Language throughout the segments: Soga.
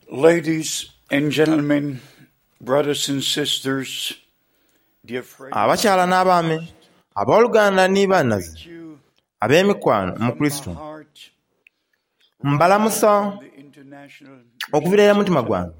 Ladies and gentlemen, brothers and sisters, dear friends, Abakyala n'abaami, abooluganda ni bannaze, greet you ab'emikwano mu from my Kristo, heart mbalamusa from the International okuviira ira mutima gwange,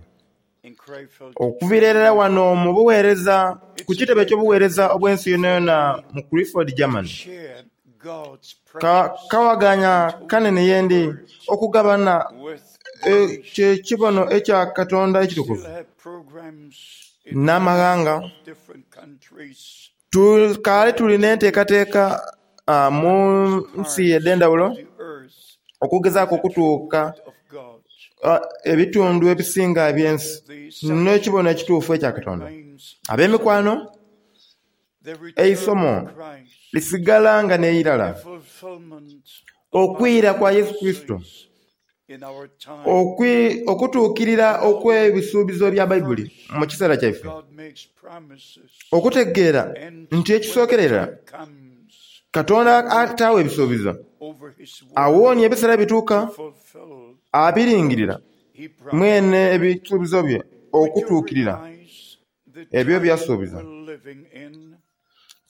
in Krefeld, okuviira irala wano mu buweereza ku kitebe eky'obuweereza obw'ensi yonayona mu Clifford, Germany. share God's Ka precious kawaganya kanene yendi okugabana with the nations. ekyo ekya Katonda ekitukuvu Still have programs in n'amaghanga. different countries Tukaali tulina enteekateeka mu nsi edh'endhawulo the earth okugezaaku okutuuka of God. ebitundu ebisinga eby'ensi The n'ekibono ekituufu ekya Katonda. remains Ab'emikwano, the return eisomo of Christ, lisigala nga n'eirala fulfillment okwira kwa Yesu Kristo, in our time. okutuukirira okw'ebisuubizo bya Baibuli mu kiseera kyaife, God makes promises. okutegeera And nti when the ekisookerera time comes Katonda ataawa ebisuubizo, over his word awoonya ebiseera ebituuka fulfill, abiringirira he promised. mwene ebisuubizo bye Would you okutuukirira realize the ebyo time byasuubiza. we're living in?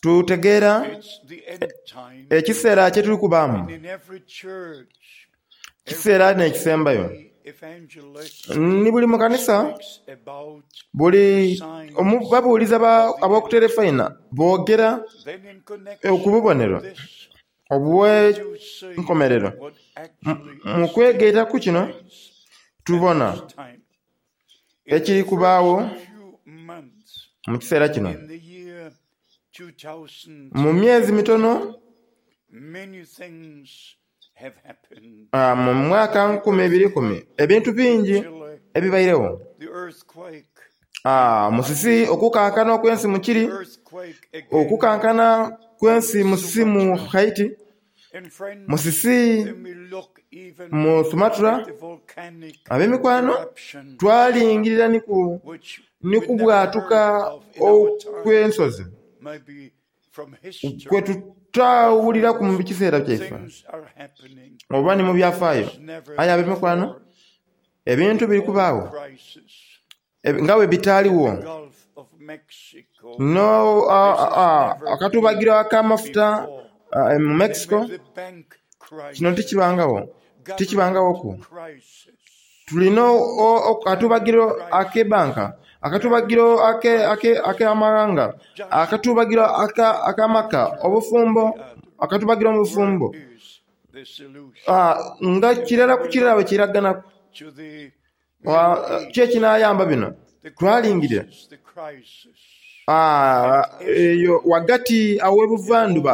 Tutegeera It's the end time. ekiseera kye tuli kubaamu, And in every church, kiseera n'ekisembayo. every evangelist Ni buli mu kanisa speaks about buli babuuliza ab'okuterefayina boogera then in connection ku bubonero with this, you see obw'enkomerero. what actually Mu is kwegaita ku kino taking place tubona at this time. In ekiri the kubaawo first few months mu kiseera kino. in the year 2000, Mu myezi mitono many things have happened. mu mwaka 2010 ebintu bingi Chile, ebibairewo. the earthquake, Musisi okukankana okw'ensi mu Chile, earthquake again. okukankana kw'ensi musisi mu Haiti, And friends, musisi then we look even mu Sumatra. at the volcanic Ab'emikwano eruption, twalingirira ni ku which ni we never kubwatuka heard of in our time, okw'ensozi maybe from history. kwe tutawuliraku mu kiseera kyaife Things are happening oba ni mu byafaayo. as never Aye ab'emikwano before. ebintu biri kubaawo Crisis, nga bwe bitaaliwo Gulf of Mexico, no akatubagiro ak'amafuta mu Mexico with the bank crisis, kino tikibangawo tikibangawoku. crisis, Tulina akatubagiro ak'ebbanka, akatubagiro ak'amawanga, akatubagiro ak'amaka, obufumbo, akatubagiro mu bufumbo is the solution nga kirala ku kirala bwe kiraganaku. to the Ki ekinaayamba bino? the Twalingirira crisis, the crisis. eyo wagati aw'ebuvanjuba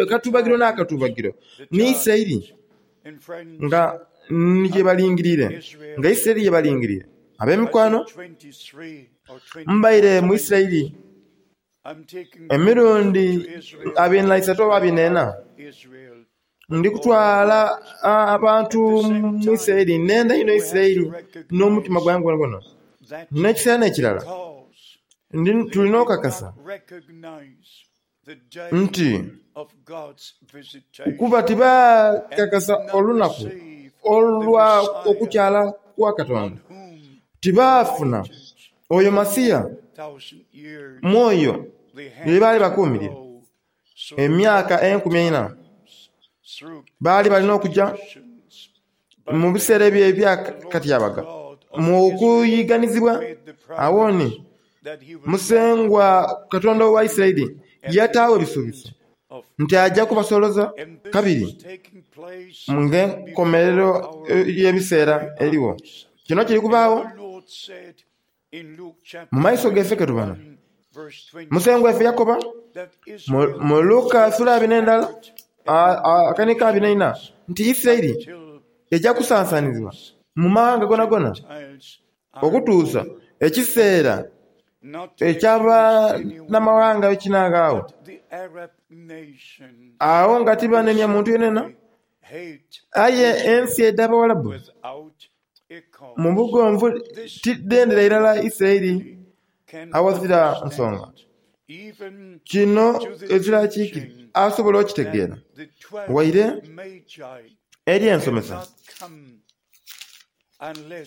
akatubagiro n'akatubagiro ni Isirayiri And friends, nga ni gye balingirire nga Isirayiri gye balingirire. Ab'emikwano 23 or mbaire mu 24 Isirayiri I'm taking emirundi to Israel, 23 oba 24 Israel. ndi kutwala abantu mu Isirayiri nenda ino Isirayiri n'omutima gwange gwonagwona. That N'ekiseera n'ekirala cause tulina okakasa recognize the day nti of God's visitation kuba tibaakakasa olunaku olwa okukyala kwa Katonda, whom tibaafuna oyo Masiya thousand years mwoyo they ye had baali to bakuumirira go through emyaka 1400 through baali balina okujja nations. mu biseera ebyo ebyakatyabaga mu okuyiganizibwa. Awo ni That he will Musengwa Katonda wa Isirayiri yataawo ebisuubizo of nti ajja kubasoloza and this kabiri is taking place ng'enkomerero y'ebiseera eriwo. Kino kiri kubaawo The Lord said in Luke chapter mu maiso gaife ke tubona. 1, verse 20 Musengwa waffe Yakoba that mu Israel mu Luka sura abiri n'endala akanika 24 nti Isirayiri till ejja kusansaanizibwa mu mawanga gonagona Gentiles are okutuusa ekiseera not to eky'abannamawanga bwe kinaagaawo. the Arab nation Awo nga tibanenya muntu yenena hate aye ensi edh'Abawalabu without a cause. mu bugonvu tidendera irala Isirayiri Can awazira understand nsonga. even Kino ezira kiiki asobola okitegeera the 12 waire Magi eri ensomesa not come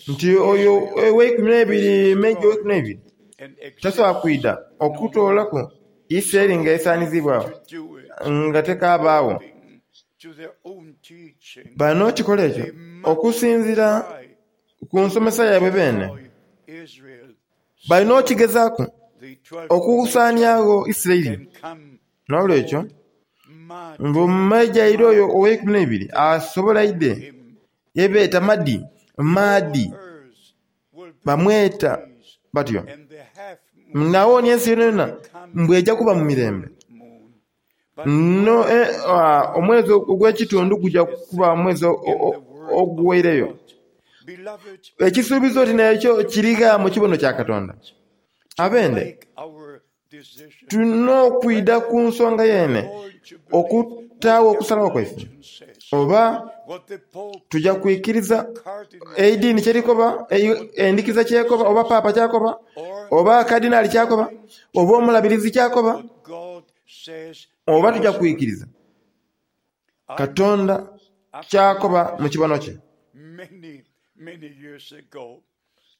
Nti oyo oweikumi n'eibiri, Meeja oweikumi n'eibiri, tasobola kwidha okutoolaku Isiraeli nga esaaniziibwagho, nga tekabaagho. Balina okukikola ekyo okusinziira ku nsomesa yaibwe beene. Balina okukigezaaku okusaaniagho Isiraeli. N'olwekyo, mbu Meeja oyo oweikumi n'eibiri asobola aidhe yebeeta Mahdi, Maadi, bamweta batyo. Nawonia ensi yonayona mbu eja kuba mu mirembe. No, omwezi ogw'ekitundu guja kuba omwezi oguweireyo. Ekisuubizo oti n'ekyo kiri gha mu kibono kya Katonda? Abende, tulina okwidha ku nsonga yeene okutaagho okusalawo kwaife. Oba tuja kwikiriza eidiini kyerikoba, endhikiriza kyekoba, oba paapa kyakoba, oba kadinali kyakoba, oba omulabirizi kyakoba, oba tuja kwikiriza Katonda kyakoba mu kibono kye.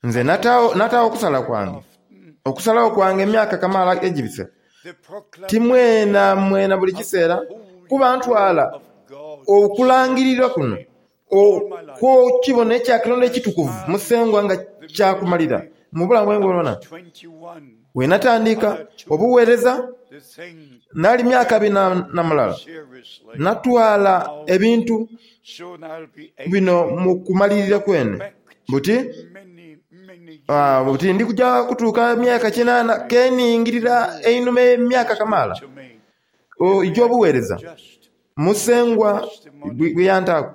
Nze nataagho okusala kwange, okusalagho kwange emyaka kamaala egibise. Ti mwenamwena buli kiseera, kuba ntwala okulangirirwa kuno okw'ekibono ekya Katonda ekitukuvu Musengwa nga kya kumalira mu bulamu bwange bwonabwona. Bwe natandika obuweereza nali myaka bina na mulala, natwala ebintu bino mu kumalirira kwene buti buti ndi kuja kutuuka myaka kinaana keningirira einhuma emyaka kamaala egy'obuweereza Musengwa bwe yantaaku.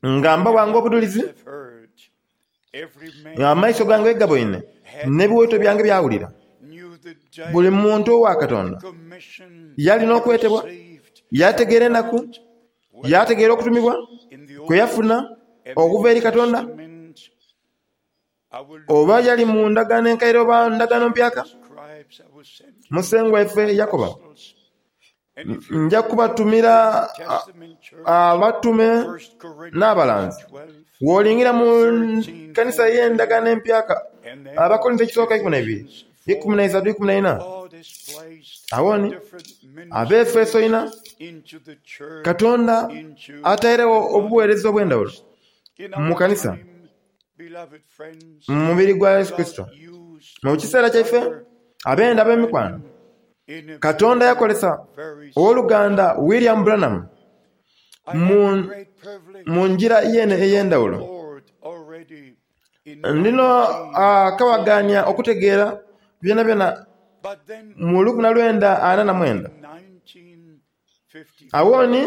Nga mbawa ng'obudhulizi, amaiso gange gaboine, n'ebiwaito byange byawulira. Buli muntu owa Katonda yali n'okwetebwa, yaategeera enaku, yaategeera okutumibwa kwe yafuna okuva eri Katonda, oba yali mu ndagaano enkaire oba ndagaano mpyaka. Musengwa waife yakoba, Nja kubatumira abatume n'abalanzi. Bw'olingira mu kanisa ey'endagaano empyaka, Abakorintho ekisooka 12, 13, 14, agho ni Abaefeso ina, Katonda atairegho obuweereza obw'endhaghulo mu kanisa, mu mubiri gwa Yesu Kurisito. Mu kiseera kyaife, ab'enda ab'emikwano, Katonda yakozesa ow'oluganda William Branham mu ngira yeene ey'endhaghulo. Ndino akabagania okutegeera byonabyona mu 1949. Agho ni,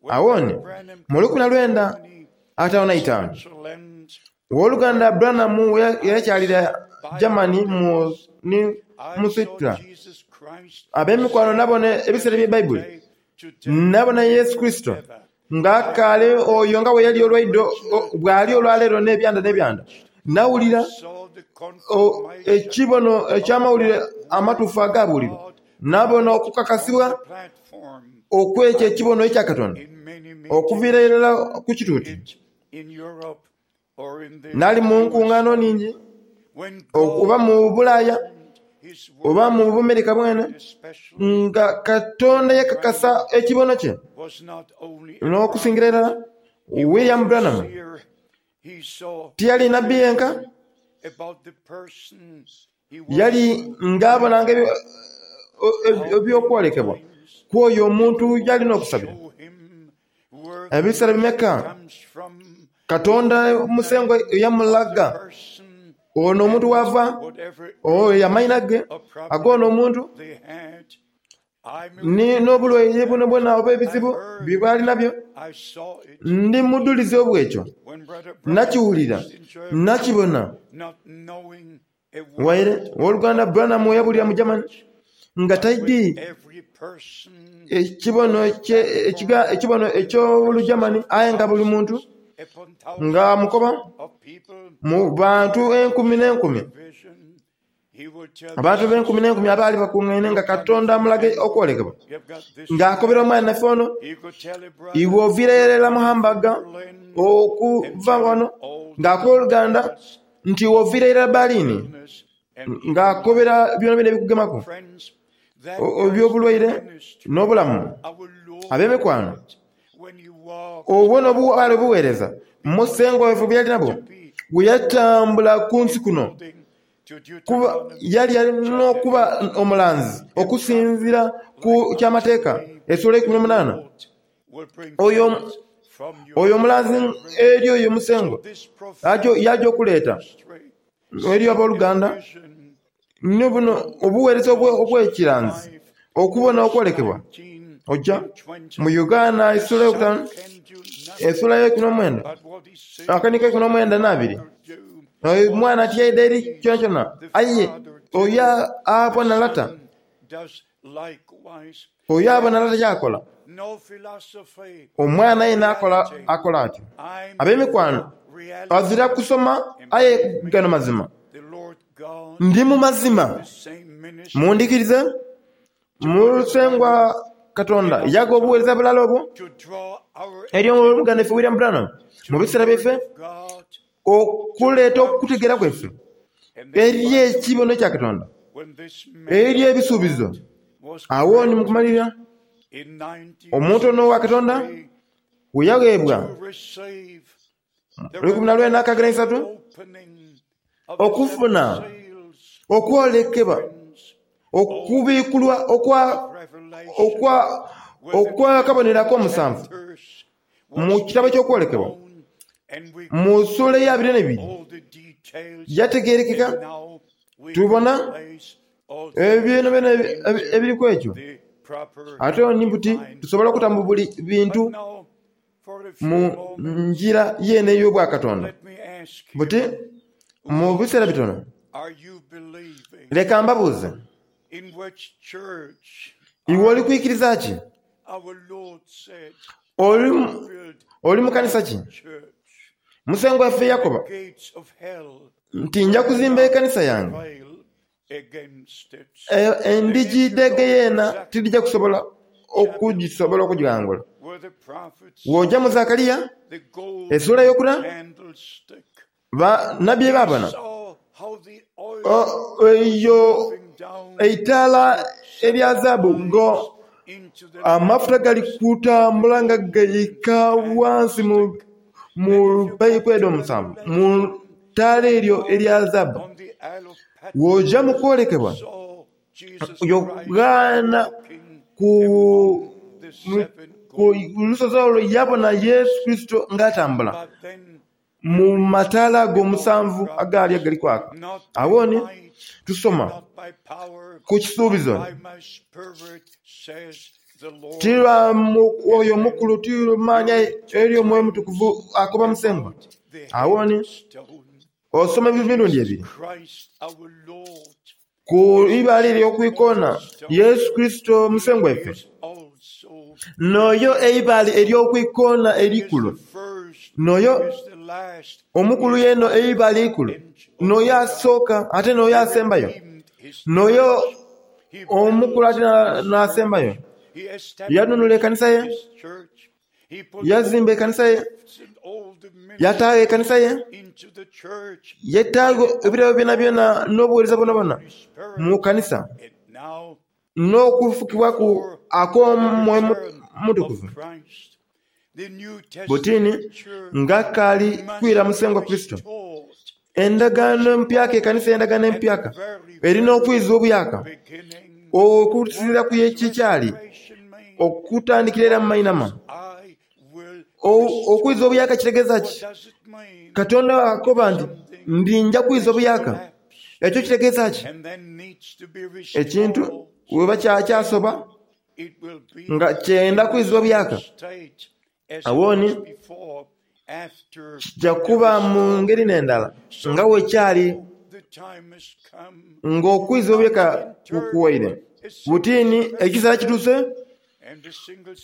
agho ni, mu 1955, Ow'oluganda Branham yakyalira Germany mu ni mu Switzerland. Ab'emikwano nabona ebiseera ebya Baibuli, nabona Yesu Kurisito nga akaali oyo nga bwe yali olwaidho, bw'ali olwaleero n'ebyanda n'ebyanda. Nawulira ekibono eky'amawulire amatuufu agaabuulirwa. Nabona okukakasibwa okw'ekyo ekibono ekya Katonda okuviira irala ku kituuti. Nali mu nkungaano nhingi, oba mu Bulaaya oba mu Bumerika bwene, nga Katonda yakakasa ekibono kye n'okusingira irala William Branham tiyali nabbi yenka, Yali ng'abonanga eby'okwolekebwa kw'oyo omuntu y'alina okusabira. Ebiseera bimeka Katonda Musengwa yamulaga ono omuntu w'ava, oyo amaina ge ag'ono omuntu, n'obulwaire bwonabwona oba ebizibu bye baali nabyo. Ndi mudhulizi obw'ekyo. Nakiwulira, nakibona. Waire Ow'oluganda Branham we yabulira mu Germany nga taidhi ekibono ekibono eky'Olugermany aye nga buli muntu nga amukoba mu bantu enkumi n'enkumi. Abantu ab'enkumi n'enkumi abaali bakungaine nga Katonda amulaga okwolekebwa, ng'akobera omwana naife ono, iwe oviire irala mu Hamburg okuva wano, ng'akoba oluganda nti iwe oviire irala Berlin, ng'akobera byonabyona ebikugemaku eby'obulwaire n'obulamu. Ab'emikwano, obwo n'obwali obuweereza Musengwa waife bwe yali nabwo bwe yatambula ku nsi kuno. Kuba yali alina okuba omulanzi okusinziira ku ky'Amateeka esula eikumi n'omunaana. Oyo oyo omulanzi eri oyo Musengwa yaja okuleeta eri aboluganda ni buno obuweereza obw'ekiranzi okubona okwolekebwa. Oja mu Uganda esula eyokutaanu esula eyeikumi n'omwenda akaniiko eikumi n'omwenda n'abiri omwana tiyaidha eri kyonakyona aye oyo abona lata oyo abona lata ky'akola omwana yena akola akola atyo. Ab'emikwano ghazira kusoma aye gano mazima. Ndi mu mazima. Mundhikirize? Musengwa Katonda yagha obuweereza bulala obwo eri ow'oluganda ife William Branham mu biseera byaife okuleeta okutegeera kwaife eri ekibono kya Katonda, eri ebisuubizo. Agho ni mu kumalirira, omuntu ono owa Katonda bwe yagheebwa 1963 okufuna okwolekebwa okubikulwa okwa okwa okw'akabonero ak'omusanvu mu kitabo ky'okwolekebwa mu ssuula ey'abiri n'eibiri yategeerekeka. Tubona ebyonabyona ebiriku ekyo. Ate ni buti tusobola okutamu buli bintu mu ngira yeene ey'obwakatonda. Buti, mu biseera bitono, leka mbabuuze, Iwe oli kwikiriza ki? Oli, oli mu kanisa ki? Musengwa waife yakoba nti nja kuzimba ekanisa yange, endhigi dhe geyeena tidhija kusobola okugisobola okugighangula. Bw'oja mu Zakaria esula eyokuna, banabbi bye baabona, eyo eitaala erya zaabu nga amafuta gali kutambula nga gaika ghansi mu paipu edho omusanvu, mu taala eryo erya zaabu. Bw'oja mu kwolekebwa, Yokaana ku lusozi olwo yabona Yesu Kurisito nga atambula mu mataala ago omusanvu agaali agali kwaka. Agho ni tusoma ku kisuubizo, Ti lwa Mwoyo Mukulu, ti lwa maani aye eri Omwoyo Omutukuvu akoba Musengwa. Agho ni osoma emirundi ebiri. Ku ibaale ery'okwikoona, Yesu Kurisito Musengwa waife, n'oyo eibaale ery'okwikoona eikulu, n'oyo omukulu yeena eibaale eikulu, n'oyo asooka ate n'oyo asembayo, n'oyo omukulu ate n'asembayo. Yanunula ekanisa ye. Yazimba ekanisa ye, yataagho ekanisa ye, yataagho ebirabo byonabyona n'obuweereza bwonabwona mu kanisa, n'okufukibwaku akw'Omwoyo Omutukuvu. Buti ni nga akaali kwira Musengwa Kurisito, endagaano empyaka, ekanisa ey'endagaano empyaka eri n'okwizibwa obuyaaka okusinziira ku ye kyali okutandikira era mu mainhama. Okwiza obuyaaka kitegeeza ki? Katonda akoba nti, Ndinja kwiza obuyaaka. Ekyo kitegeeza ki? Ekintu bweba kyasoba nga kyenda kwizibwa buyaaka, agho ni kija kuba mu ngeri n'endala nga bwe kyali ng'okwizibwa obuyaaka kuwaire. Buti ni ekiseera kituuse,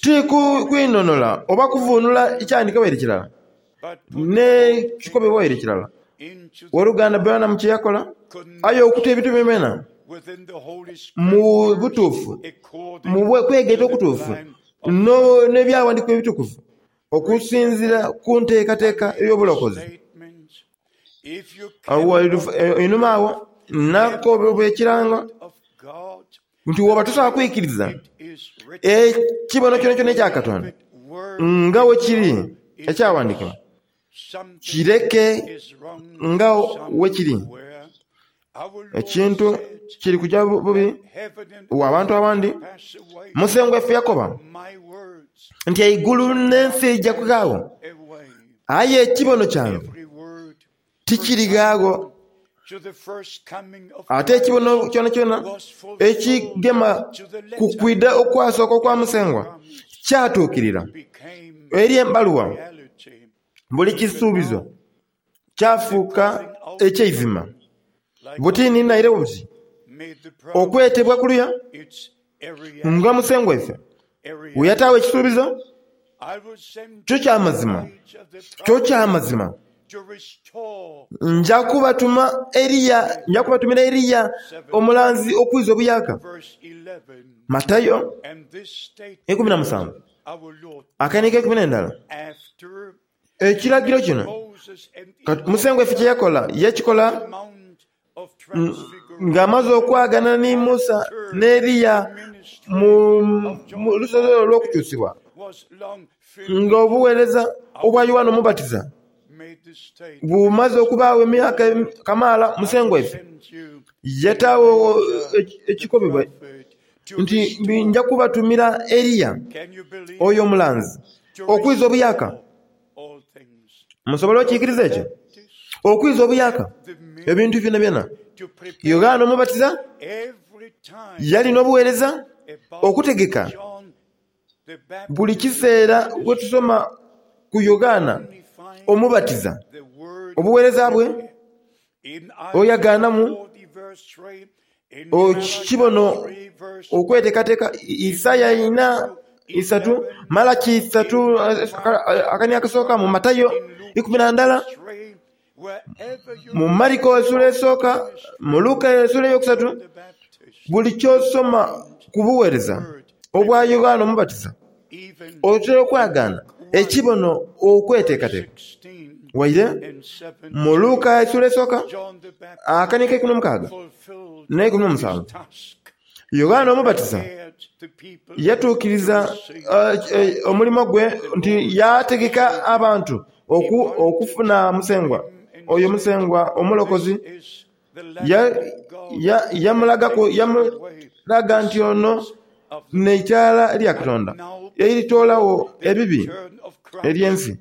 ti kwinhonhola oba kuvuunula kyandhikibwa waire kirala, n'ekikobebwa waire kirala. Owoluganda Branham kye yakola, aye okuta ebintu byonabyona mu butuufu, mu kwegaita okutuufu n'Ebyawandiikibwa Ebitukuvu, okusinziira ku nteekateeka ey'obulokozi. Einhuma agho nakobebwa ekirango nti bw'oba tosobola kwikiriza ekibono kyonakyona ekya Katonda nga bwe kiri ekyawandiikibwa, kireke nga bwe kiri. Ekintu kiri kuja bubi wa bantu abandi. Musengwa waife yakoba nti eigulu n'ensi eija kughaagho, aye ekibono kyange tikirighagho. Ate ekibono kyonakyona ekigema ku kwidha okwasooka okwa Musengwa kyatuukirira eri embaluwa. Buli kisuubizo kyafuuka eky'eizima. Buti ni naire buti okwetebwa kuluya nga Musengwa waife bwe yataagho ekisuubizo, kyo kya mazima, kyo kya mazima. Nja kubatuma Eliya, nja kubatumira Eliya omulanzi okwiza obuyaaka. Matayo 17 akaini k'eikumi n'endala. Ekiragiro kino Musengwa waife kye yakola, yakikola ng'amaze okwagana ni Musa n'Eliya mu lusozi olwo olw'okukyusibwa, ng'obuweereza obwa Yoanne Omubatiza bumaze okubaagho emyaka kamaala. Musengwa waife yataagho ekikobebwa nti, Nja kubatumira Eliya oyo omulanzi okwiza obuyaaka. Musobola okikiriza ekyo? Okwiza obuyaaka ebintu byonabyona. Yoghana Omubatiza yali n'obuweereza okutegeka. Buli kiseera bwe tusoma ku Yoghana Omubatiza, obuweereza bwe, oyagaanamu ekibono okweteekateeka Isaia ina isatu, Malaki isatu akani akasooka, mu Matayo 11, mu Mariko esula esooka, mu Luka esula eyokusatu, buli ky'osoma ku buweereza obwa Yoghana Omubatiza otera okwagaana ekibono okweteekateeka. Waire mu Luka esula esooka akani ak'eikumi n'omukaaga n'eikumi n'omusanvu, Yoghana Omubatiza yatuukiriza omulimo gwe nti yaategeka abantu okufuna Musengwa oyo Musengwa Omulokozi. Yamulaga nti ono n'eitaala lya Katonda eritoolagho ebibi eby'ensi.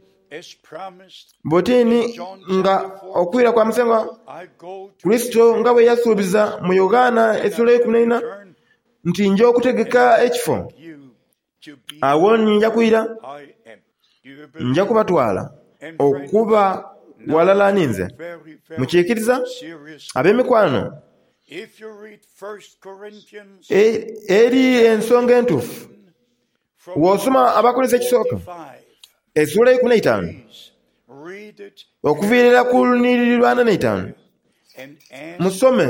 Buti ni nga okwira kwa Musengwa Kurisito nga bwe yasuubiza mu Yoghana esula eikumi n'eina nti nja okutegeka ekifo, agho ni nja kwira, nja kubatwala okuba ghalala ninze. Mukiikiriza, ab'emikwano? Eri ensonga entuufu. Bw'osoma Abakorinso ekisooka esuula eikumi n'eitaanu okuviira irala ku lunyiriri lw'ana n'eitaanu, musome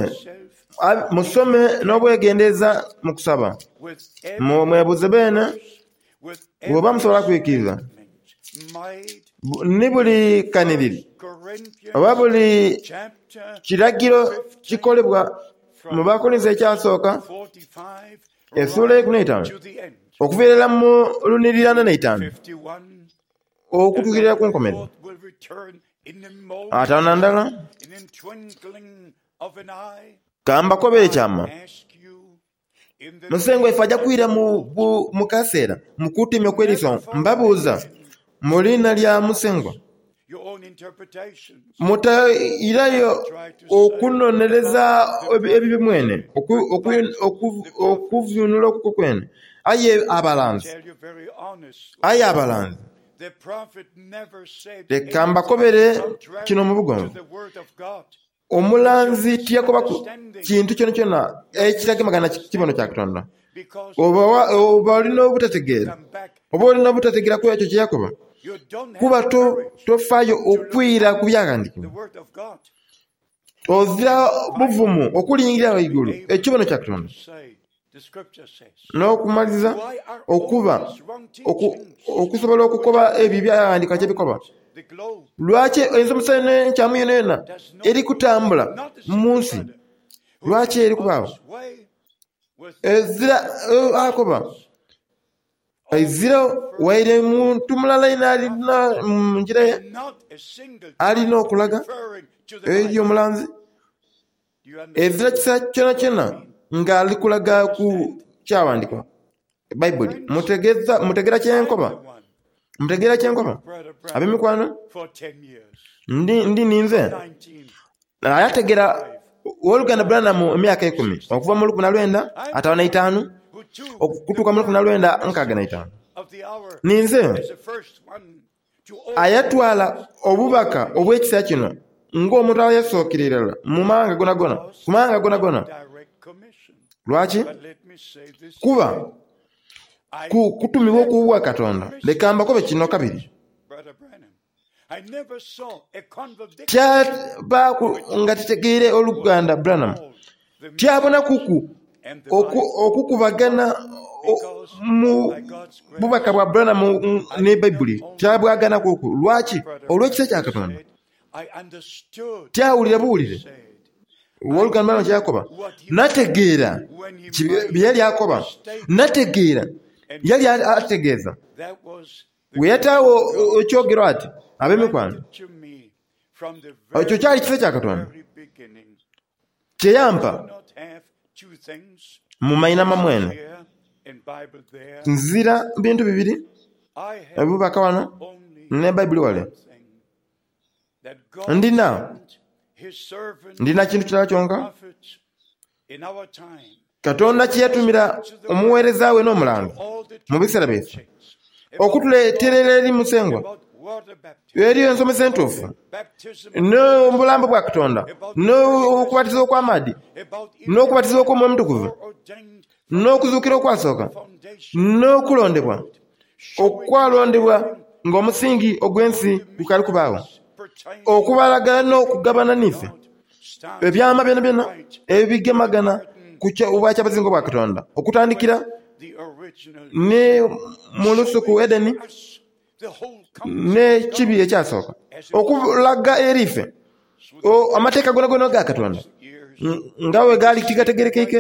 musome n'obwegendereza mu kusaba, mwebuuze beene bw'oba musobola kwikiriza ni buli kanhiriri oba buli kiragiro kikolebwa mu Bakorinso ekyasooka Esuula eikumi n'eitaanu okuva irala mu lunhiriri ana n'eitaanu okutuukirira ku nkomerero. Ataano na ndala, ka mbakobere ekyama, Musengwa waife aja kwira mu kaseera mu kutemya okw'eriiso. Mbabuuza mu liina lya Musengwa, mutairayo okunonereza ebibi mwene, okuvuunula okukwo kwene. Aye abalanzi, aye abalanzi, leka mbakobere kino mu bugonvu. Omulanzi tiyakobaku kintu kyonakyona ekitagemagana na kibono kya Katonda. Oba oli n'obutategeera, oba oli n'obutategeera ku ekyo kye yakoba. Kuba tofaayo okwira ku byaghandiikibwa. Ozira buvumu okulingirira ghaigulu ekibono kya Katonda n'okumaliriza okuba okusobola okukoba ebyo ebyaghandiikibwa kye bikoba. Lwaki ensomesa eno enkyamu yonayona eri kutambula mu nsi? Lwaki eri kubaagho? Ezira akoba Ezira waire muntu mulala yena alina mu ngira ye alina okulaga eri omulanzi. Ezira kiseera kyonakyona nga ali kulaga ku kyawandikibwa Baibuli. Mutegeera kyenkoba? Mutegeera kyenkoba? Ab'emikwano, ndi ninze Yategera Owoluganda Branham emyaka eikumi okuva mu lukumi na lwenda ataanu na itaanu okutuuka mu lukumi na lwenda nkaaga na itaanu. Ninze ayatwala obubaka obw'ekiseera kino ng'omuntu ayasookera irala mu maghanga gonagona, ku maghanga gonagona. Lwaki? Kuba ku kutumibwa okw'obwa Katonda. Leka mbakobe kino kabiri. Tyabaaku nga titegeire oluganda Branham. Tyabonakuku okukubagana mu bubaka bwa Branham ni Baibuli. Tyabwaganakuku. Lwaki? Olw'ekisa kya Katonda. Tyawulira buwulire ow'oluganda Branham kye yakoba. Nategeera bye yali akoba. Nategeera yali ategeeza. Bwe yataagho ekyogero ati, Ab'emikwano, ekyo kyali kisa kya Katonda kye yampa mu mainhama mwene. Nzira bintu bibiri, obubaka ghano ne Baibuli ghale. Ndina, ndina kintu kirala kyonka Katonda kye yatumira omugheereza we n'omulanzi mu biseera byaife, okutuleeterera eri Musengwa eriyo ensomesa entuufu, n'obulambo bwa Katonda, n'okubatiza okw'amaadhi, n'okubatiza okw'Omwoyo Omutukuvu, n'okuzuukira okwasooka, n'okulondebwa okwalondebwa ng'omusingi ogw'ensi gukaali kubaagho, okubalagala n'okugabana n'ife ebyama byonabyona ebigemagana ku bwakyabazinga obwa Katonda, okutandikira ni mu lusuku Edeni n'ekibi ekyasooka, okulaga eri ife amateeka goonagoona aga Katonda nga bwe gaali tigategerekeike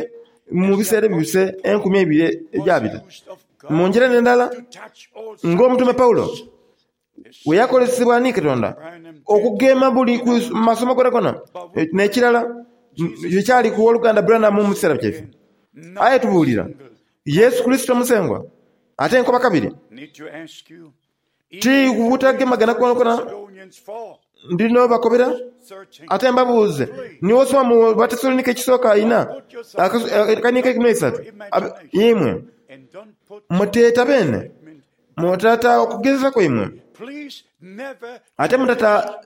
mu biseera ebibise enkumi eibiri egyabita. Mu ngira n'endala, ng'Omutume Paulo bwe yakozesebwa ni Katonda okugema buli ku masomo gonagona, n'ekirala ekyali ku Owoluganda Branham mu kiseera kyaife. Aye tubuulira Yesu Kurisito Musengwa, ate nkoba kabiri, ti butagemagana kwonakwona ndi n'obakobera, ate mbabuuze, ni w'osoma mu Batessalonike ekisooka eina, akaniiko eikumi n'eisatu, imwe muteeta beene, mutata okugezesa kwaimwe, ate mutata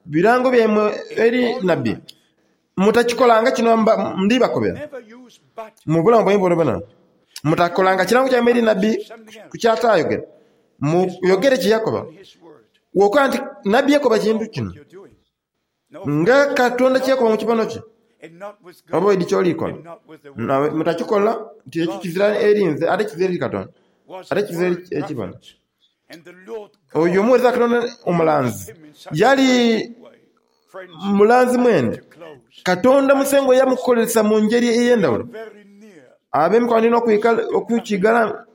birango byaimwe eri nabbi. Mutakikolanga kino ndi bakobera, mu bulamu bwaimwe bwonabwona. Mutakolanga kirango kyaimwe eri nabbi ku ky'ataayogera. Muyogere kye yakoba. Bw'okoba nti nabbi yakoba kintu kino, nga Katonda kye yakoba mu kibono kye, oba oidhi ky'oli kola. Mutakikola nti ekyo kizira eri nze ate kizira eri Katonda, ate kizira eri ekibono. Oyo omuweereza wa Katonda omulanzi yali mulanzi mwene. Katonda Musengwa yamukozesa mu ngeri ey'endhawulo. Ab'emikwano ndina okukighala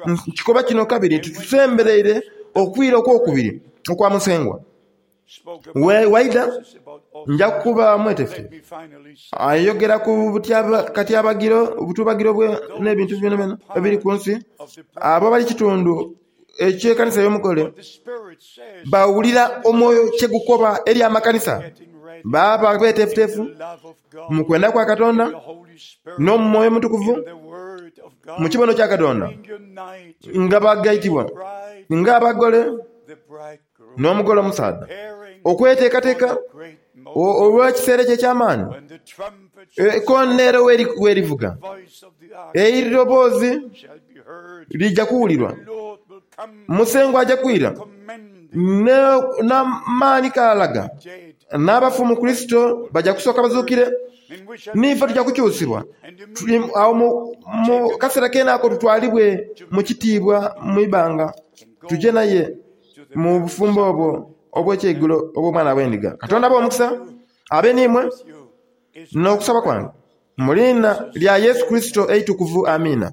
nkikoba kino kabiri nti tusembereire okwira okw'okubiri okwa Musengwa. Waidha, nja kuba mwetefu. Ayogera ku katyabagiro, obutubagiro n'ebintu byonabyona ebiri ku nsi. Abo abali kitundu eky'ekanisa ey'omugole bawulira omwoyo kye gukoba eri amakanisa, baaba beteefuteefu mu kwenda kwa Katonda n'omu Mwoyo Omutukuvu, mu kibono kya Katonda, nga bagaitibwa ng'abagole. n'omugole omusaadha okweteekateeka olw'ekiseera ekyo eky'amaani ekonero werivuga, eiroboozi lija kuwulirwa. Musengwa aja kwira. N'amaani k'alaga, n'abafu mu Kurisito baja kusooka bazuukire, n'ife tuja kukyusibwa. Agho mu kaseera keene ako tutwalibwe mu kitiibwa mu ibanga, tuje naye mu bufumbo obwo obw'ekyeigulo obw'Omwana gw'Endiga. Katonda abe omukisa, abe n'imwe, n'okusaba kwange. Mu liina lya Yesu Kurisito eitukuvu. Amiina.